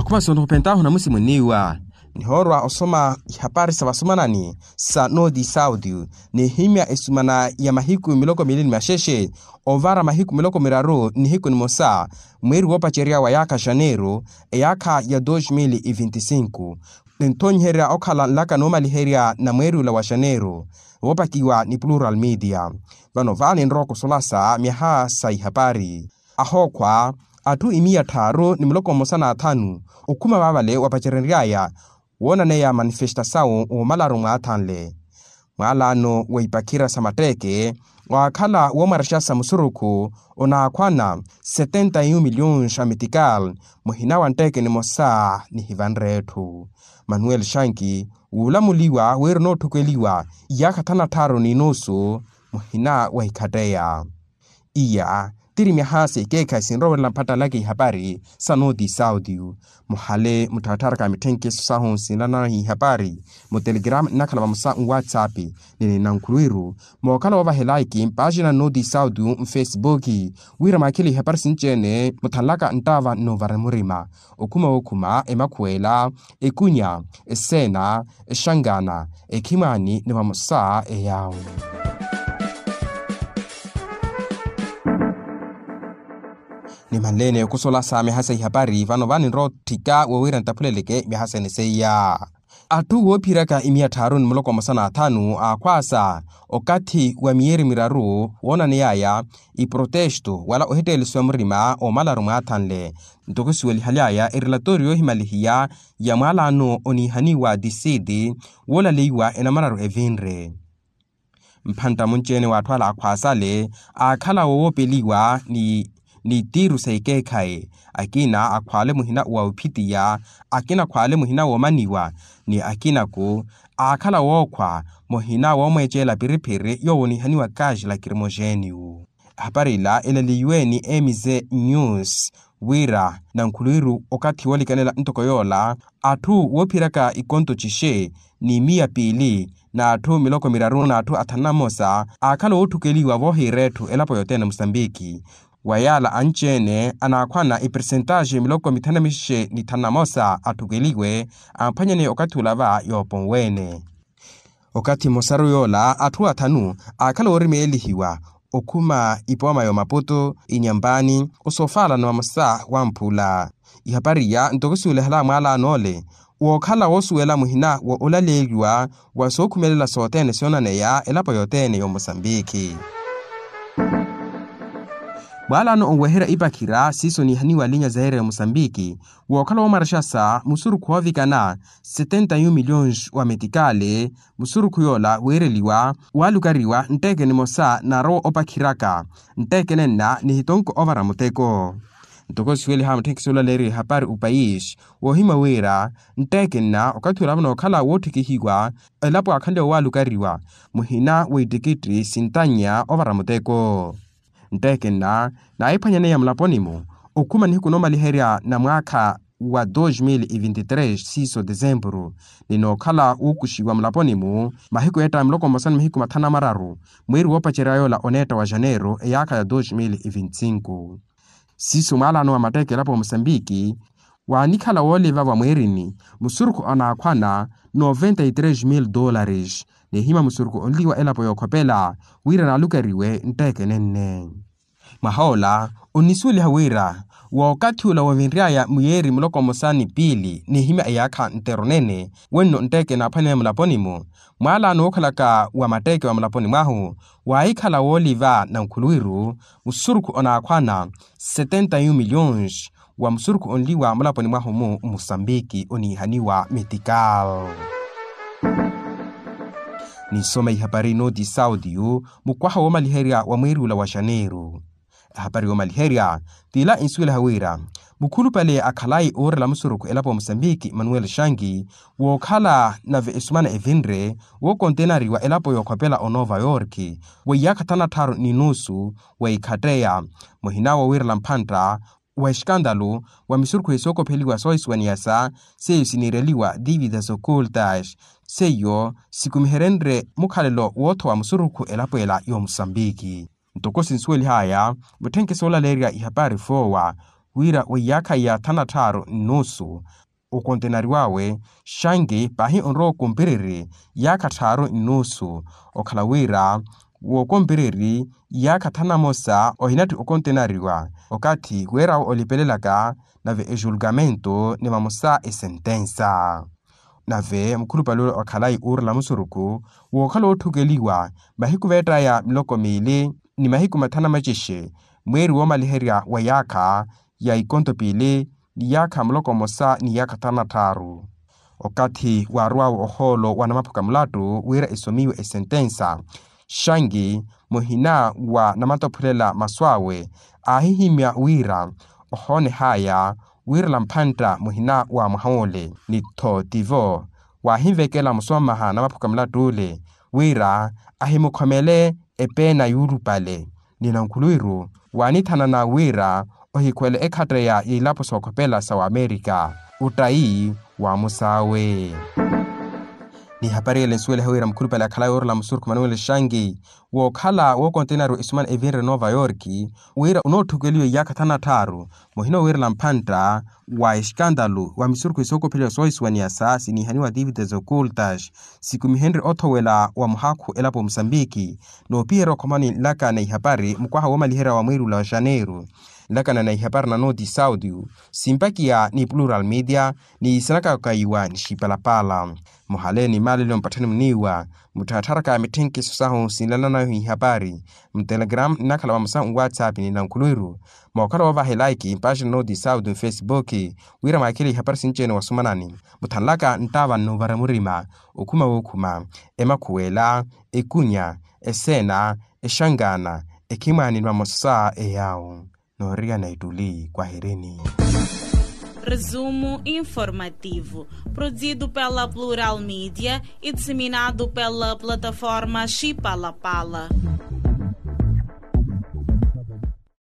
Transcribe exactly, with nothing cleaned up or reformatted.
Khuma sontho khupentaahu namusi munniiwa. Nihoorwa osoma ihapari sa vasumanani sa noti sauti, nihimya esumana ya mahiku miloko mili ni maxexe, ovara mahiku miloko miraru nihiku nimosa, mweeri woopacerya wa yaakha xaneeru, eyaakha ya dos mil e vinte e cinco. Ninthonyiherya okhala nlaka noomaliherya na mweeri ula wa xaneeru, voopakiwa ni plural media. Vano vaani nrowa kusolasa myaha sa ihapari. Ahookhwa atthu imiya tthaaru ni muloko mmosa n'athanu, okhuma vaavale wapacerery'aya woonaneya manifestasawu womalaru mwaathanle. Mwaalano wa ipakhira sa matteeke waakhala woomwarexa sa musurukhu onaakhwana setenta e un miliyons a metikal, muhina wa ntteeke nimosa nihivanre etthu. Manuel xanki wuulamuliwa wira onootthukweliwa iyaakha thanu na tthaaru ni nusu, muhina wa ikhatteya. Iya tiri myaha sa ikeekhayi sinrowerela mpattalaka ihapari sa noti saudio. Muhale muttharatharaka mitthenkeso sahu sinlanana ihapari mutelegrama nnakhala vamosa nwatsapp, ni ninankhulwiru mookhala woovahelaiki mpaaxina noti saudio mfesibuki, wira mwaakhile ihapari sinci-ene muthanlaka nttaava nnoovare murima. Okhuma wookhuma emakhuwela, ekunya, eseena, exankaana, ekhimwaani ni vamosa eyaawu. Nimanleene okusolasa myaha sa ihapari vano vaani nrowa otthika wowira nttaphuleleke myaha sene seiya. Atthu woophiraka imiya tthaaru ni muloko mmosa n'athanu aakhwaasa okathi wa miyeeri miraru woonaney'aya iprotesto wala ohetteelesiwa murima omalaru mwaathanle. Ntoko siwelihaly'aya erelatori yoohimalihiya ya mwaalano oniihaniwa disiti woolaleiwa enamararu evinre. Mphantta munci-ene w'atthu ala akhwaasale aakhala wowoopeliwa ni tiiru sa ikeekhayi, akina akhwaale muhina wa ophitiya, akina akhwaale muhina woomaniwa, ni akina-ku aakhala wookhwa muhina woomweeceela piriphiri yoowo oniihaniwa kaxi lakirimoxeniwu. Ehapari ila elaleiwe ni mz news wira nankhulwiru okathi woolikanela ntoko yoola atthu woophiraka ikonto cixe ni miya piili n'atthu miloko miraru n'atthu athanu na mmosa aakhala wootthukweliwa voohiira etthu elapo yothene musambiki. Wa yaala anci-ene anaakhwana epersentaxe miloko mithanu na mixe ni thanu na mmosa atthukweliwe amphwanyaneya okathi ula va yooponwe-ene. Okathi mmosaru yoola atthu athanu aakhala woorimeelihiwa okhuma ipooma y'omaputu, inyampaani, osoofaala ni vamosa wamphula. Ihapari iya ntoko siwelihala mwaalano ole wookhala woosuwela muhina wa olaleeliwa wa sookhumelela sothene soonaneya elapo yothene y'omosambiki. Mwaalano onweherya ipakhira siiso niihaniwa linya zaire y'omosambiki wookhala woomarexasa musurukhu woovikana setenta e un miliyons wa metikali. Musurukhu yoola wiireliwa waalukariwa ntteke nimosa naarowa opakhiraka ntteke nenna nihitonko ovara muteko. Ntoko siweliha mutthenkisi olaleeriwa ehapari opayisi woohimya wira ntteke nna okathi ula vano okhala woottikihiwa elapo aakhanle waalukariwa muhina wa ittikitti sintannya ovara muteko. Ntteke nna naahiphwanyaneya mulaponi-mu okhuma nihiku noomaliherya na mwaakha wa dos mil e vinte e tres siiso desempuru ni nookhala wuukuxiwa mulaponi-mu mahiku eetta miloko mmosa ni mahiku mathanu na mararu mweeri woopacerya yoola oneetta wa xaneeru eyaakha ya dos mil e vinte e cinco. Siiso mwaalano wa matteeke elapo ya musambiki waanikhala wooliva vamweerini musurukhu anaakhwana noventa e tres mil dolares. Nihima musurukhu onliwa elapo yookhopela wira naalukariwe ntteke nenne. Mwahoola onnisuweliha wira wookathi ula woovinry'aya muyeeri muloko mmosa ni piili nihimya eyaakha nttero nene wenno ntteke naaphwanene mulaponi-mu. Mwaalano wookhalaka wa matteeke wa mulaponi mwahu waahikhala wooliva nankhuluwiru musurukhu onaakhwana setenta e un miliyons wa musurukhu onliwa mulaponi mwahu-mu musambiki oniihaniwa metikal. Ninsoma ihapari nooti sauti yu mukwaha woomaliherya wa mweeri ula wa xaneeru. Ehapari yoomaliherya t'ila insuweliha wira mukhulupale akhalayi oorela musurukhu elapo ya musambiki manuel shangi wookhala nave esumana evinre wookontenariwa elapo yookhopela onova yorki weiyaakha thanu na tthaaru ni nusu weikhatteya muhina woowirela mphantta wa eskandalu wa misurukhu esookopheliwa soohisuwaniyasa seiyo siniireliwa dividas ocultas seiyo sikumiherenrye mukhalelo woothowa musurukhu elapo ela yoomusambiki. Ntoko sinsuwelihaya mutthenke soolaleerya ihapari foowa wira wa iyaakha ya thanu na tthaaru nnuusu okontenari wawe. Xanki pahi onrowa okumpiriri iyaakha tthaaru nnuusu, okhala wira wookompiriri iyaakha thanu na mosa ohinatthi okontenariwa okathi weerawo olipelelaka nave ejulgamento ni vamosa esentensa. Nave mukhulupale ule okhalayi uurela musurukhu wookhala ootthukeliwa mahiku veettaya miloko miili ni mahiku mathanu na macixe mweeri woomaliherya wa iyaakha ya ikonto piili ni iyaakha muloko mmosa ni iyaakha thanu na tthaaru. Okathi waarow'awe ohoolo wa namaphuka mulattu wira esomiwe esentensa, xanki muhina wa namatophulela masu awe aahihimya wira ohooneh'aya wiirela mphantta muhina wa mwaha ole ni tho tivo waahinvekela musomamaha namaphuka mulattu ole wira ahimukhomele epeena yuulupale. Ni nankhulwiru waanithanana wira ohikhuwele ekhatteya y'ilapo sookhopela sa wamerika. Ottayi wa musaawe. Ni hapari ele nsuweleha wira mukhulupale akhalayi oorela musurukhu manuwele xanki wookhala wookontenari esumana evinre nova york wira onootthukuliwa iyaakha thanu na tthaaru muhina owiirela mphantta wa exkandalu wa misurukhu esookopheliwa soohisuwaniyasa sinihaniwa ativitas okultas sikumihenrye othowela wa muhakhu elapo musambiki. Noopiherya okhomani nlakana ihapari mukwaha woomaliherya wa mweeri ula wa xaneiru nlakana na ihapari na noti saudio simpakiya ni plural media ni isanakaka iwa ni xipalapala. Muhale ni maalelo mpatthani muniiwa muttharattharaka mitthenkhiso sahu sinlananahu ihapari mutelegram nnakhala vamosa nwatsapp ni nankhulwiru mookhala woovaha elaiki mpaaxina noti saudio mfesibuki wira mwaakhile ihapari sinci-ene wasumanani muthanlaka nttaava nnuuvara murima okhuma wookhuma emakhuwela ekunya eseena exankaana ekhimwaani ni vamosa eyawu. Nooriyana ettuli kwahirini. Resumo informativo produzido pela plural media e disseminado pela plataforma xipalapala.